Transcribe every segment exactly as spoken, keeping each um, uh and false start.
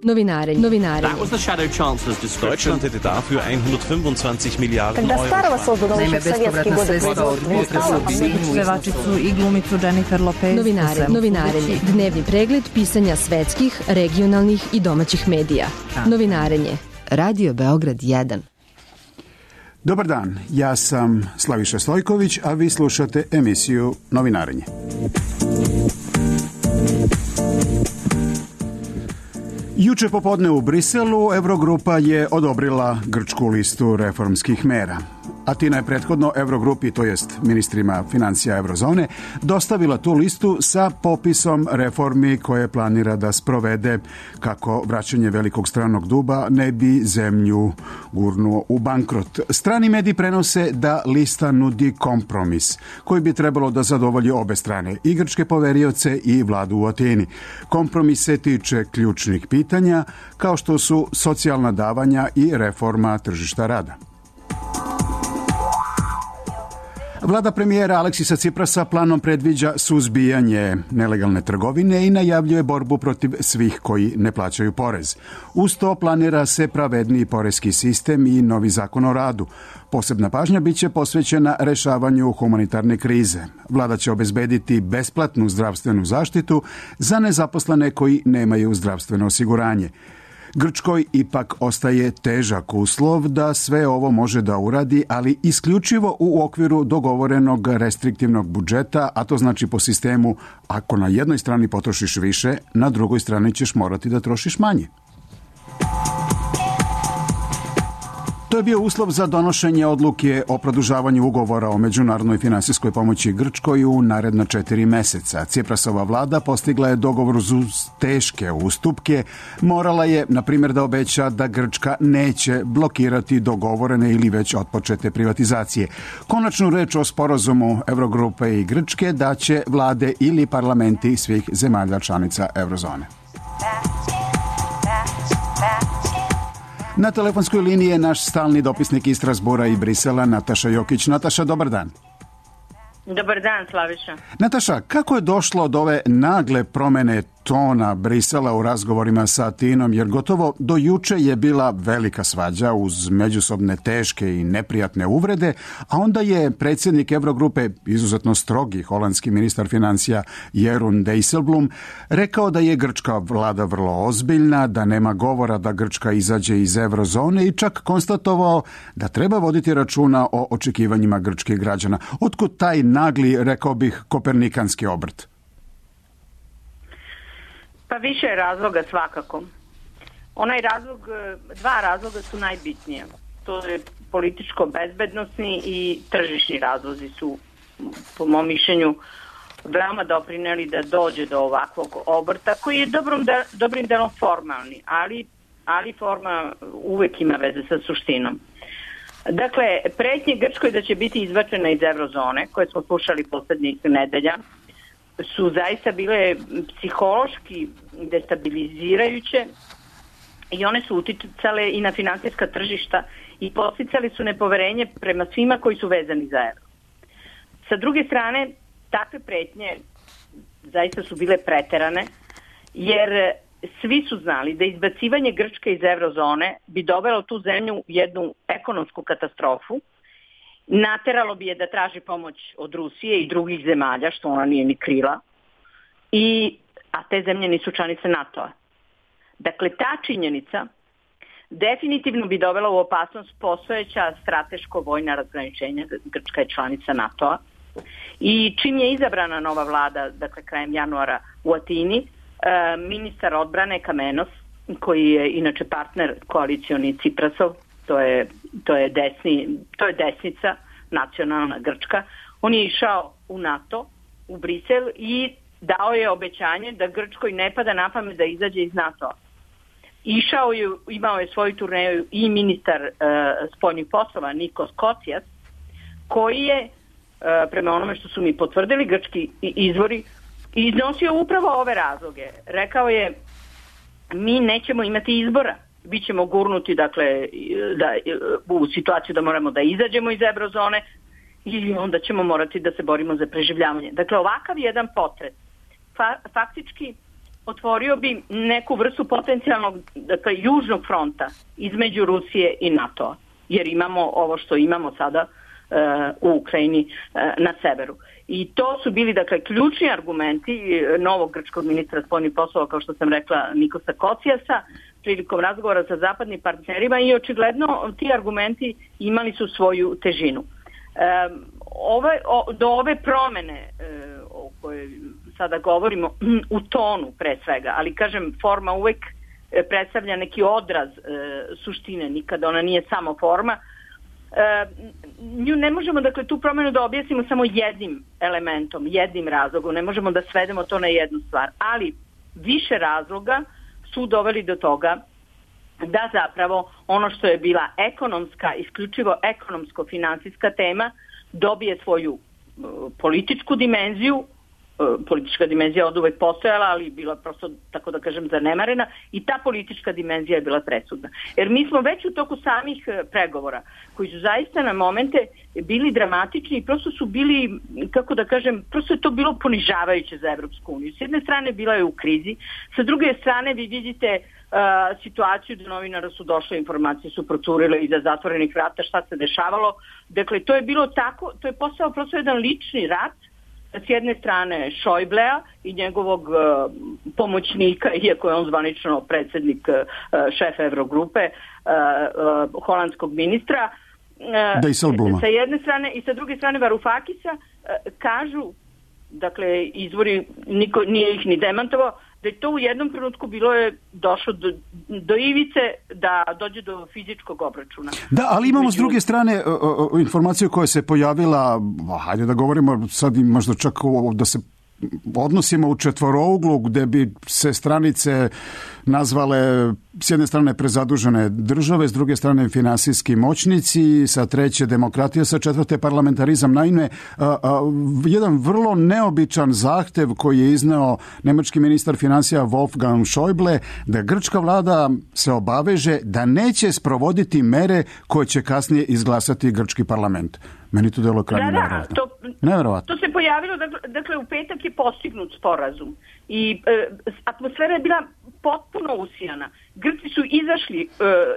Novinarenje. Novinarenje. That was the shadow chancellor's description. Deutschland hätte dafür hundertfünfundzwanzig Miliarden Когда Euro. старого создано еще в советские годы производства Pevačicu i glumicu Jennifer Lopez. Novinare, novinarenje. Dnevni pregled pisanja svetskih, regionalnih i domaćih medija. Novinarenje. Radio Beograd jedan. Dobar dan, ja sam Slaviša Stojković, a vi slušate emisiju Novinarenje. Juče popodne u Briselu Eurogrupa je odobrila grčku listu reformskih mera. Atina je prethodno Eurogrupi, to jest ministrima financija Eurozone, dostavila tu listu sa popisom reformi koje planira da sprovede kako vraćanje velikog stranog duba ne bi zemlju gurnuo u bankrot. Strani mediji prenose da lista nudi kompromis koji bi trebalo da zadovolji obe strane, i grčke poverioce i vladu u Atini. Kompromis se tiče ključnih pitanja kao što su socijalna davanja i reforma tržišta rada. Vlada premijera Aleksisa Ciprasa planom predviđa suzbijanje nelegalne trgovine i najavljuje borbu protiv svih koji ne plaćaju porez. Uz to planira se pravedniji porezki sistem i novi zakon o radu. Posebna pažnja biće posvećena rešavanju humanitarne krize. Vlada će obezbediti besplatnu zdravstvenu zaštitu za nezaposlene koji nemaju zdravstveno osiguranje. Grčkoj ipak ostaje težak uslov da sve ovo može da uradi, ali isključivo u okviru dogovorenog restriktivnog budžeta, a to znači po sistemu ako na jednoj strani potrošiš više, na drugoj strani ćeš morati da trošiš manje. To je bio uslov za donošenje odluke o produžavanju ugovora o međunarodnoj finansijskoj pomoći Grčkoj u naredna četiri meseca. Ciprasova vlada postigla je dogovor uz teške ustupke. Morala je, na primjer, da obeća da Grčka neće blokirati dogovorene ili već otpočete privatizacije. Konačnu reč o sporazumu Eurogrupe i Grčke daće vlade ili parlamenti svih zemalja članica Eurozone. Na telefonskoj liniji je naš stalni dopisnik iz Strasbura i Brisela, Nataša Jokić. Nataša, dobar dan. Dobar dan, Slaviša. Nataša, kako je došlo do ove nagle promene tona Brisela u razgovorima sa Atinom, jer gotovo do juče je bila velika svađa uz međusobne teške i neprijatne uvrede, a onda je predsjednik Eurogrupe, izuzetno strogi holandski ministar financija Jeroen Dijsselbloem, rekao da je grčka vlada vrlo ozbiljna, da nema govora da Grčka izađe iz eurozone i čak konstatovao da treba voditi računa o očekivanjima grčkih građana. Otkud taj nagli, rekao bih, kopernikanski obrt? Pa više je razloga svakako. Onaj razlog, dva razloga su najbitnije. To je političko-bezbednosni i tržišni razlozi su, po mom mišljenju, veoma doprineli da dođe do ovakvog obrta, koji je dobrom de, dobrim delom formalni, ali, ali forma uvek ima veze sa suštinom. Dakle, pretnje Grčkoj da će biti izbačena iz eurozone, koje smo slušali poslednjih nedelja, su zaista bile psihološki destabilizirajuće i one su uticale i na finansijska tržišta i podsticali su nepoverenje prema svima koji su vezani za euro. Sa druge strane, takve pretnje zaista su bile preterane, jer svi su znali da izbacivanje Grčke iz eurozone bi dovelo tu zemlju u jednu ekonomsku katastrofu, nateralo bi je da traži pomoć od Rusije i drugih zemalja, što ona nije ni krila, i, a te zemlje nisu članice NATO-a. Dakle, ta činjenica definitivno bi dovela u opasnost postojeća strateško-vojna razgraničenja. Grčka je članica NATO-a. I čim je izabrana nova vlada, dakle krajem januara u Atini, ministar odbrane Kamenos, koji je inače partner koalicioni Ciprasov, to je, to je, desni, to je desnica, nacionalna Grčka, on je išao u NATO, u Brisel i dao je obećanje da Grčkoj ne pada na pamet da izađe iz NATO-a. Išao je, imao je svoju turneju i ministar uh, spoljnih poslova Nikos Kocijas, koji je, uh, prema onome što su mi potvrdili grčki izvori, iznosio upravo ove razloge. Rekao je, mi nećemo imati izbora, bit ćemo gurnuti, dakle, da, u situaciju da moramo da izađemo iz eurozone i onda ćemo morati da se borimo za preživljavanje. Dakle, ovakav jedan potres fa, faktički otvorio bi neku vrstu potencijalnog, dakle, južnog fronta između Rusije i NATO-a, jer imamo ovo što imamo sada uh, u Ukrajini uh, na severu. I to su bili, dakle, ključni argumenti novog grčkog ministra spoljnih poslova, kao što sam rekla, Nikosa Kocijasa, prilikom razgovora sa zapadnim partnerima, i očigledno ti argumenti imali su svoju težinu. E, ove, o, do ove promene e, o kojoj sada govorimo, u tonu pre svega, ali kažem, forma uvek predstavlja neki odraz e, suštine, nikada ona nije samo forma. E, nju ne možemo, dakle, tu promenu da objasnimo samo jednim elementom, jednim razlogom, ne možemo da svedemo to na jednu stvar, ali više razloga su doveli do toga da zapravo ono što je bila ekonomska, isključivo ekonomsko-finansijska tema, dobije svoju uh, političku dimenziju. Uh, politička dimenzija od uvek postojala, ali bila prosto, tako da kažem, zanemarena, i ta politička dimenzija je bila presudna. Jer mi smo već u toku samih uh, pregovora, koji su zaista na momente bili dramatični i prosto su bili, kako da kažem, prosto je to bilo ponižavajuće za Evropsku uniju. S jedne strane bila je u krizi, sa druge strane vi vidite Uh, situaciju da novinara su došle, informacije su procurile iza zatvorenih vrata, šta se dešavalo. Dakle, to je bilo tako, to je postao prosto jedan lični rat, s jedne strane Šojblea i njegovog uh, pomoćnika, iako je on zvanično predsjednik, uh, šef Evrogrupe, uh, uh, holandskog ministra, uh, sa jedne strane, i sa druge strane Varufakisa, uh, kažu, dakle, izvori, niko nije ih ni demantovao, da je to u jednom trenutku bilo je došlo do, do ivice da dođe do fizičkog obračuna. Da, ali imamo s druge strane o, o, informaciju koja se pojavila, hajde da govorimo sad možda čak o, da se odnosimo u četvorouglu, gde bi se stranice nazvale s jedne strane prezadužene države, s druge strane finansijski moćnici, sa treće demokratija, sa četvrte parlamentarizam. Naime, a, a, jedan vrlo neobičan zahtev koji je izneo nemački ministar finansija Wolfgang Schäuble, da grčka vlada se obaveže da neće sprovoditi mere koje će kasnije izglasati grčki parlament. Meni to delo krajnje nevjerovatno. Da, da, to, nevjerovatno. To se pojavilo, dakle, dakle u petak je postignut sporazum i e, atmosfera je bila potpuno usijana. Grci su izašli e,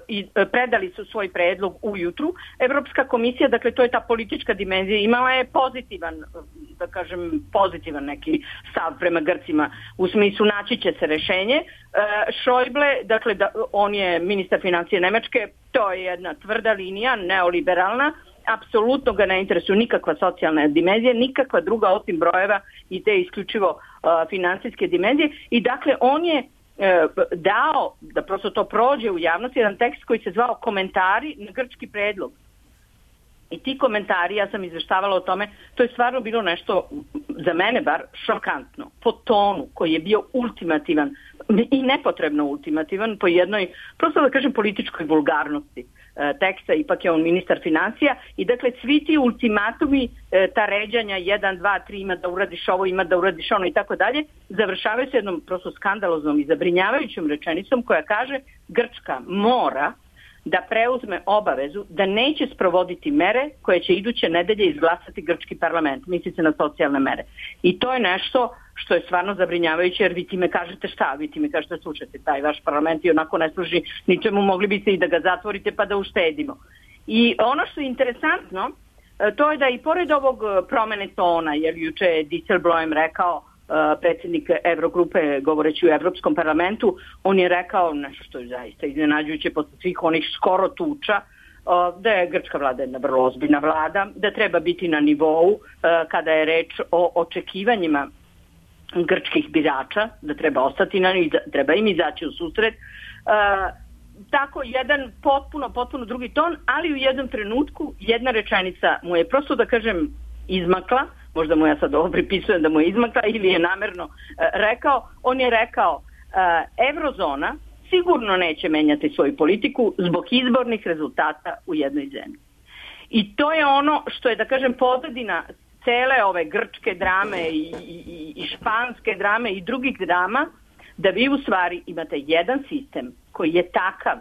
i predali su svoj predlog ujutru. Evropska komisija, dakle to je ta politička dimenzija, imala je pozitivan, da kažem, pozitivan neki stav prema Grcima, u smislu naći će se rešenje. E, Schäuble, dakle da, on je ministar financije Nemačke, to je jedna tvrda linija, neoliberalna, apsolutno ga ne interesuju nikakva socijalna dimenzija, nikakva druga osim brojeva i te isključivo uh, finansijske dimenzije. I dakle, on je uh, dao, da prosto to prođe u javnosti, jedan tekst koji se zvao Komentari na grčki predlog. I ti komentari, ja sam izveštavala o tome, to je stvarno bilo nešto, za mene bar, šokantno. Po tonu koji je bio ultimativan i nepotrebno ultimativan, po jednoj, prosto da kažem, političkoj vulgarnosti teksta, ipak je on ministar financija, i dakle svi ti ultimatumi, ta ređanja jedan, dva, tri, ima da uradiš ovo, ima da uradiš ono i tako dalje, završavaju se jednom prosto skandaloznom i zabrinjavajućom rečenicom koja kaže Grčka mora da preuzme obavezu da neće sprovoditi mere koje će iduće nedelje izglasati grčki parlament, misli se na socijalne mere. I to je nešto što je stvarno zabrinjavajuće, jer vi ti me kažete šta, vi ti me kažete slušajte, taj vaš parlament i onako ne služi ničemu, mogli biste i da ga zatvorite pa da uštedimo. I ono što je interesantno, to je da i pored ovog promene tona, jer juče je Dijsselbloem rekao, predsjednik Evrogrupe, govoreći u Evropskom parlamentu, on je rekao nešto što je zaista iznenađujuće posle svih onih skoro tuča, da je grčka vlada jedna vrlo ozbiljna vlada, da treba biti na nivou kada je reč o očekivanjima grčkih birača, da treba ostati na njih, treba im izaći u susret. Tako jedan potpuno, potpuno drugi ton, ali u jednom trenutku jedna rečenica mu je prosto, da kažem, izmakla, možda mu ja sad ovo pripisujem da mu je izmakla ili je namerno uh, rekao, on je rekao uh, Evrozona sigurno neće menjati svoju politiku zbog izbornih rezultata u jednoj zemlji. I to je ono što je, da kažem, pozadina cele ove grčke drame i, i, i španske drame i drugih drama, da vi u stvari imate jedan sistem koji je takav,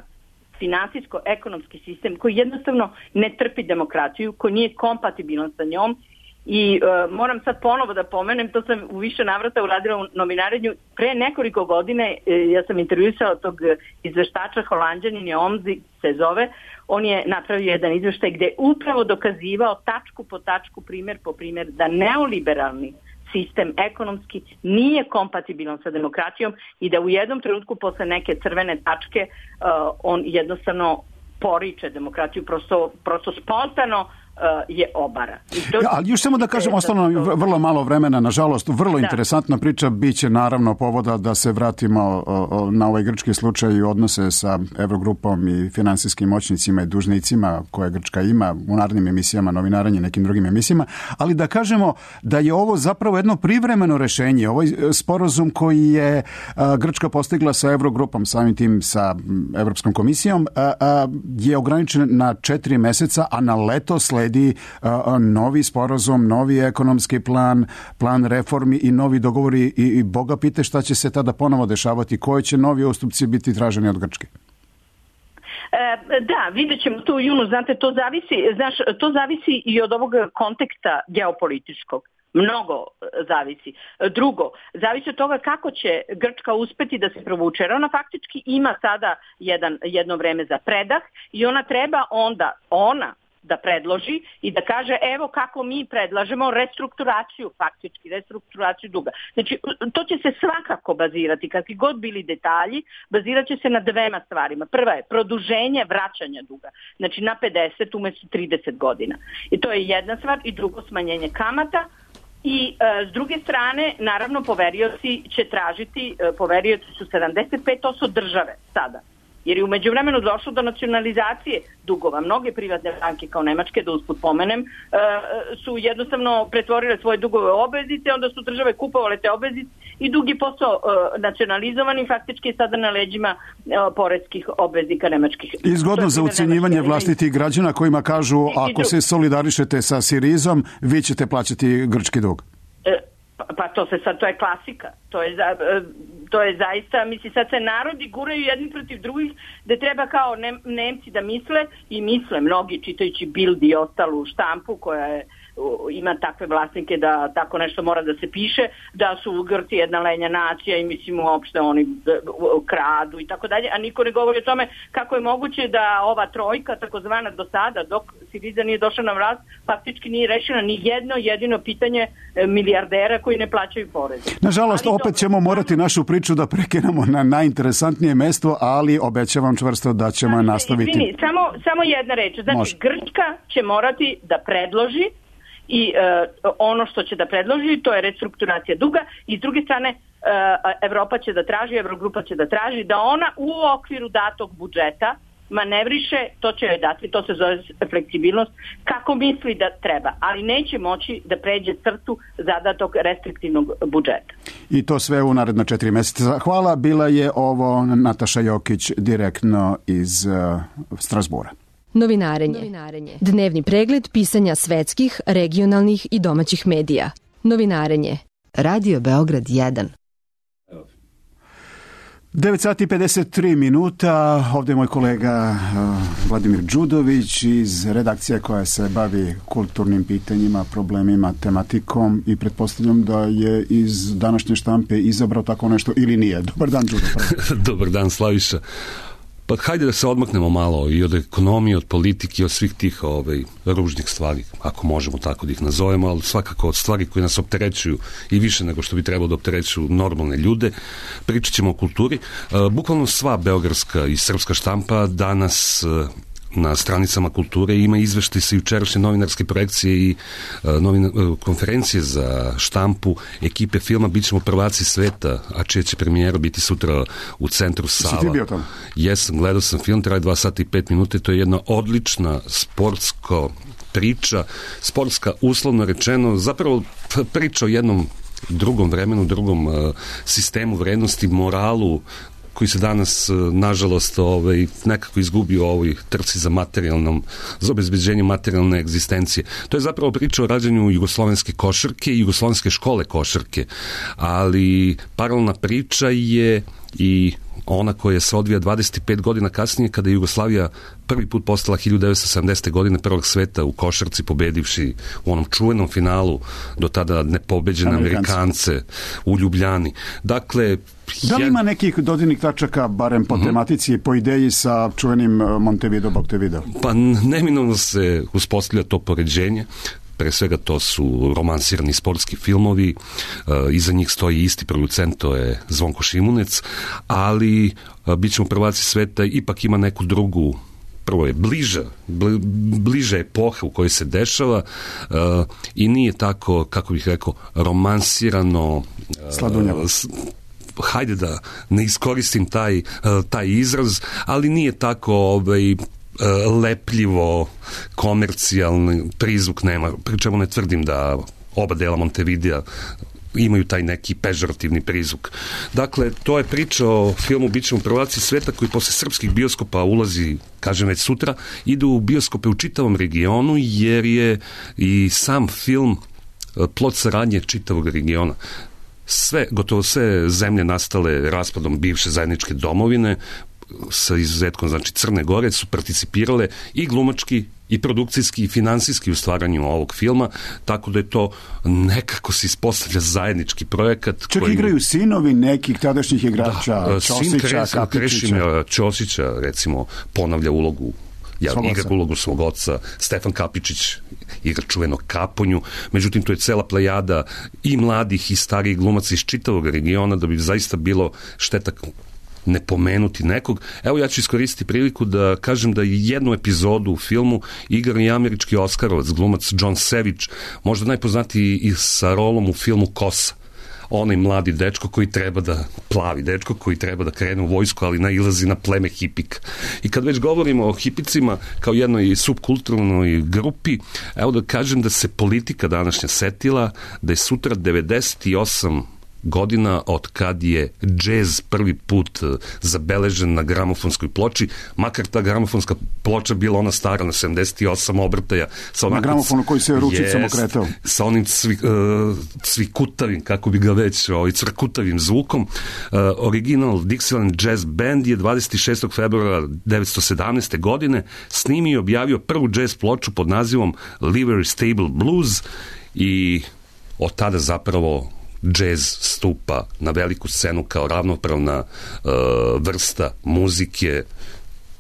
finansijsko-ekonomski sistem koji jednostavno ne trpi demokraciju, koji nije kompatibilan sa njom I uh, moram sad ponovo da pomenem, to sam u više navrata uradila u novinarenju. Pre nekoliko godine uh, ja sam intervjuisala tog izveštača, Holanđanin je Omzi se zove. On je napravio jedan izveštaj gde je upravo dokazivao tačku po tačku, primjer po primjer, da neoliberalni sistem ekonomski nije kompatibilan sa demokratijom i da u jednom trenutku posle neke crvene tačke uh, on jednostavno poriče demokratiju, prosto, prosto spontano je obara. To... Ja, ali još samo da kažem, ostalo nam vrlo malo vremena, nažalost, vrlo da. Interesantna priča, bit će naravno povoda da se vratimo o, o, na ovaj grčki slučaj i odnose sa Evrogrupom i finansijskim moćnicima i dužnicima koje Grčka ima u narednim emisijama, novinaranje i nekim drugim emisijama, ali da kažemo da je ovo zapravo jedno privremeno rešenje. Ovaj sporazum koji je a, Grčka postigla sa Evrogrupom, samim tim sa Evropskom komisijom, a, a, je ograničen na četiri meseca, a na leto sledi Uh, novi sporazum, novi ekonomski plan, plan reformi i novi dogovori i, i Boga pite šta će se tada ponovo dešavati, koje će novi ustupci biti traženi od Grčke. E, da, vidjet ćemo to u junu, znate, to zavisi, znaš, to zavisi i od ovog konteksta geopolitičkog. Mnogo zavisi. Drugo, zavisi od toga kako će Grčka uspeti da se provuče. Jer ona faktički ima sada jedan, jedno vreme za predah i ona treba onda, ona da predloži i da kaže evo kako mi predlažemo restrukturaciju, faktički restrukturaciju duga. Znači, to će se svakako bazirati, kakvi god bili detalji, bazirat će se na dvema stvarima. Prva je produženje vraćanja duga, znači na pedeset umjesto trideset godina. I to je jedna stvar. I drugo, smanjenje kamata. I e, s druge strane, naravno, poverioci će tražiti, e, poverioci su sedamdeset pet posto države sada. Jer je u međuvremenu došlo do nacionalizacije dugova. Mnoge privatne banke kao nemačke, da usput pomenem, su jednostavno pretvorile svoje dugove u obveznice, onda su države kupovale te obveznice i dug je postao nacionalizovan i faktički je sada na leđima poreskih obveznika nemačkih. Izgodno za ucenjivanje vlastitih građana kojima kažu ako se solidarišete sa Sirizom, vi ćete plaćati grčki dug. Pa to se sad, to je klasika. To je, za, to je zaista, misli, sad se narodi guraju jedni protiv drugih, da treba kao ne, Nemci da misle i misle mnogi čitajući Bild i ostalu štampu koja je, ima takve vlasnike da tako nešto mora da se piše, da su Grci jedna lenja nacija i mislim uopšte oni kradu i tako dalje, a niko ne govori o tome kako je moguće da ova trojka, takozvana do sada, dok Siriza nije došla na vlast, faktički nije rešena ni jedno jedino pitanje milijardera koji ne plaćaju poreze. Nažalost, ali opet to... ćemo morati našu priču da prekinemo na najinteresantnije mesto, ali obećavam čvrsto da ćemo je nastaviti. Izvini, samo, samo jedna reč. Znači, Može. Grčka će morati da predloži i uh, ono što će da predloži, to je restrukturacija duga i s druge strane uh, Evropa će da traži, Evrogrupa će da traži da ona u okviru datog budžeta manevriše, to će joj dati, to se zove fleksibilnost, kako misli da treba, ali neće moći da pređe crtu zadatog restriktivnog budžeta. I to sve u naredna četiri mjeseca. Hvala, bila je ovo Nataša Jokić direktno iz uh, Strasbura. Novinarenje. Novinarenje. Dnevni pregled pisanja svetskih, regionalnih i domaćih medija. Novinarenje. Radio Beograd jedan. devet sati i pedeset tri minuta. Ovdje je moj kolega uh, Vladimir Đudović iz redakcije koja se bavi kulturnim pitanjima, problemima, tematikom i pretpostavljam da je iz današnje štampe izabrao tako nešto ili nije. Dobar dan, Đudo. Dobar dan, Slaviša. Pa hajde da se odmaknemo malo i od ekonomije, od politike, od svih tih ovaj, ružnih stvari, ako možemo tako da ih nazovemo, ali svakako od stvari koje nas opterećuju i više nego što bi trebalo da opterećuju normalne ljude. Pričat ćemo o kulturi. Bukvalno sva beogradska i srpska štampa danas na stranicama kulture ima izveštaj sa jučerašnje novinarske projekcije i uh, novina, uh, konferencije za štampu ekipe filma Bićemo prvaci sveta, a čija će premijera biti sutra u centru Sava. Si ti bio tamo? Jesam, gledao sam film, traje dva sata i pet minuta, to je jedna odlična sportska priča, sportska uslovno rečeno, zapravo priča o jednom drugom vremenu, drugom uh, sistemu vrednosti, moralu, koji se danas, nažalost, ovaj, nekako izgubio u ovoj trci za materijalnom, za obezbeđenje materijalne egzistencije. To je zapravo priča o rađanju jugoslovenske košarke i jugoslovenske škole košarke, ali paralelna priča je i ona koja se odvija dvadeset pet godina kasnije, kada je Jugoslavija prvi put postala hiljadu devetsto sedamdesete. godine prvog sveta u košarci, pobedivši u onom čuvenom finalu do tada nepobeđene Amerikance, Amerikance u Ljubljani. Dakle, da li ima nekih dodirnih tačaka, barem po uh-huh. tematici, po ideji sa čuvenim Montevideo, Montevideo? Pa neminovno se uspostavlja to poređenje. Pre svega to su romansirani sportski filmovi, e, iza njih stoji isti producent, to je Zvonko Šimunec, ali e, bit ćemo prvaci sveta ipak ima neku drugu, prvo je bliža, bli, bliža epoha u kojoj se dešava e, i nije tako, kako bih rekao, romansirano, sladunjavo. E, hajde da ne iskoristim taj, taj izraz, ali nije tako ovaj, lepljivo, komercijalni prizvuk nema, pri čemu ne tvrdim da oba dela Montevidea imaju taj neki pežorativni prizvuk. Dakle, to je priča o filmu Bićemo prvaci sveta koji posle srpskih bioskopa ulazi, kažem već sutra, ide u bioskope u čitavom regionu jer je i sam film plod saradnje čitavog regiona. Sve, gotovo sve zemlje nastale raspadom bivše zajedničke domovine, sa izuzetkom, znači Crne Gore, su participirale i glumački i produkcijski i finansijski u stvaranju ovog filma, tako da je to nekako se ispostavlja zajednički projekat. Čak koji... igraju sinovi nekih tadašnjih igrača, da, Ćosića, sin Krešimira Ćosića, recimo, ponavlja ulogu Ja igra ulogu svog oca, Stefan Kapičić igra čuvenog Kaponju, međutim to je cela plejada i mladih i starijih glumaca iz čitavog regiona, da bi zaista bilo šteta ne pomenuti nekog. Evo ja ću iskoristiti priliku da kažem da jednu epizodu u filmu igra i američki Oskarovac, glumac John Savage, možda najpoznatiji i sa rolom u filmu Kosa. Onaj mladi dečko koji treba da plavi dečko koji treba da krene u vojsku, ali nailazi na pleme hipika. I kad već govorimo o hipicima kao jednoj subkulturnoj grupi, evo da kažem da se politika današnja setila da je sutra devedeset osam godina od kad je džez prvi put zabeležen na gramofonskoj ploči, makar ta gramofonska ploča bila ona stara na sedamdeset osam obrtaja. Sa na gramofonu koji se ručicom okretao. Sa onim cvi, uh, cvikutavim, kako bi ga već, ovaj, cvrkutavim zvukom. Uh, original Dixieland Jazz Band je dvadeset šestog februara devetsto sedamnaeste. godine snimio i objavio prvu džez ploču pod nazivom Livery Stable Blues i od tada zapravo džez stupa na veliku scenu kao ravnopravna uh, vrsta muzike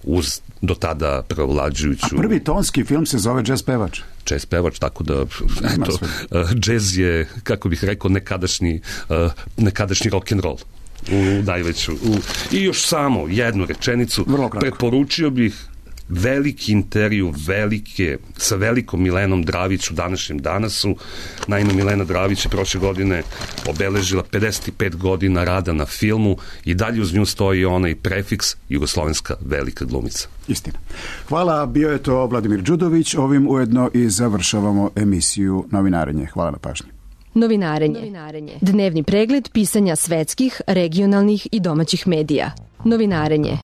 uz do tada prevlađujuću... A prvi tonski film se zove Džez pevač. Džez pevač, tako da eto, uh, džez je, kako bih rekao, nekadašnji, uh, nekadašnji rock'n'roll u najveću. U, I još samo jednu rečenicu. Preporučio bih veliki intervju, velike, sa velikom Milenom Dravić u današnjem Danasu. Naime, Milena Dravić je prošle godine obeležila pedeset pet godina rada na filmu i dalje uz nju stoji onaj prefiks jugoslovenska velika glumica. Istina. Hvala, bio je to Vladimir Đudović. Ovim ujedno i završavamo emisiju Novinarenje. Hvala na pažnji. Novinarenje. Novinarenje. Dnevni pregled pisanja svetskih, regionalnih i domaćih medija. Novinarenje.